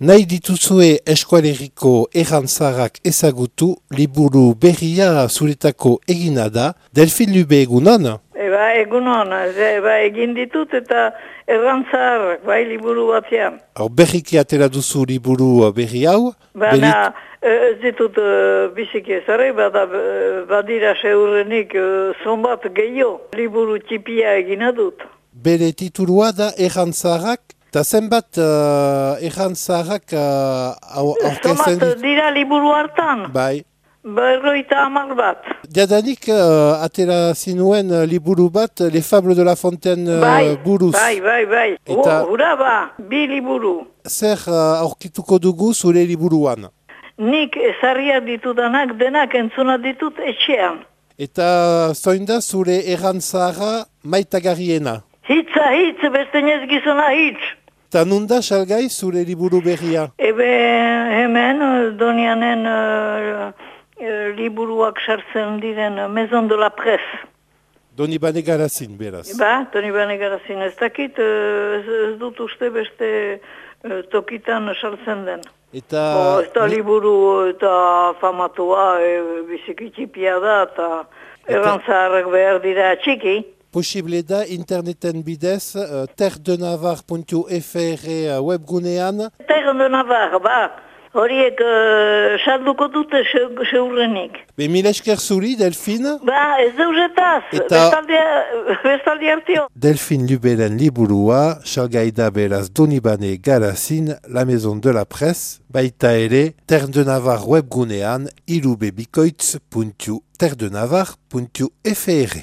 Nahi dituzue eskualeriko errantzarak ezagutu, liburu berria zuretako egina da, Delfin Lube egunon? Egunon, egin ditut eta errantzarrak, bai liburu batean. Berriki atera duzu liburu berri hau? Baina ez ditut biziki ezare, badira seurrenik zonbat gehiago, liburu txipia egina dut. Bere titulua da errantzarak? Eta zenbat errantzarak aurkezten Zonbat dira liburu hartan? Bai. 50 bat. Jadanik atera zinuen liburu bat, Les Fables de la Fontaine buruz. Bai. Eta Hura ba, 2 liburu. zer aurkituko dugu zure liburuan? Nik ezarriak ditudanak denak entzuna ditut etxean. Eta zoin da zure errantzara maitagarriena? Hitz, beste nez gizona hitz. Eta nunda salgai zure liburu berria? Hemen Donianen liburuak sartzen diren Maison de la Presse. Donibane Garazin, beraz. Donibane Garazin. Ez dakit, ez dut uste beste tokitan sartzen den. Eta ez da liburu eta famatua, bizikitxipia da, eta errantzaharrak behar dira txiki. Posible da interneten bidez terredenavarre.fr webgunean. Terre de Navarre, horiek salduko dute seurrenik. Mila esker zuri, Delfin. Ez deuzetaz, bestaldi hartio. Delfin Luberen liburua, salgaida beraz Donibane Garazin, La Maison de la Presse, baita ere Terre de Navarre webgunean ilubebikoitz.terredenavarre.fr.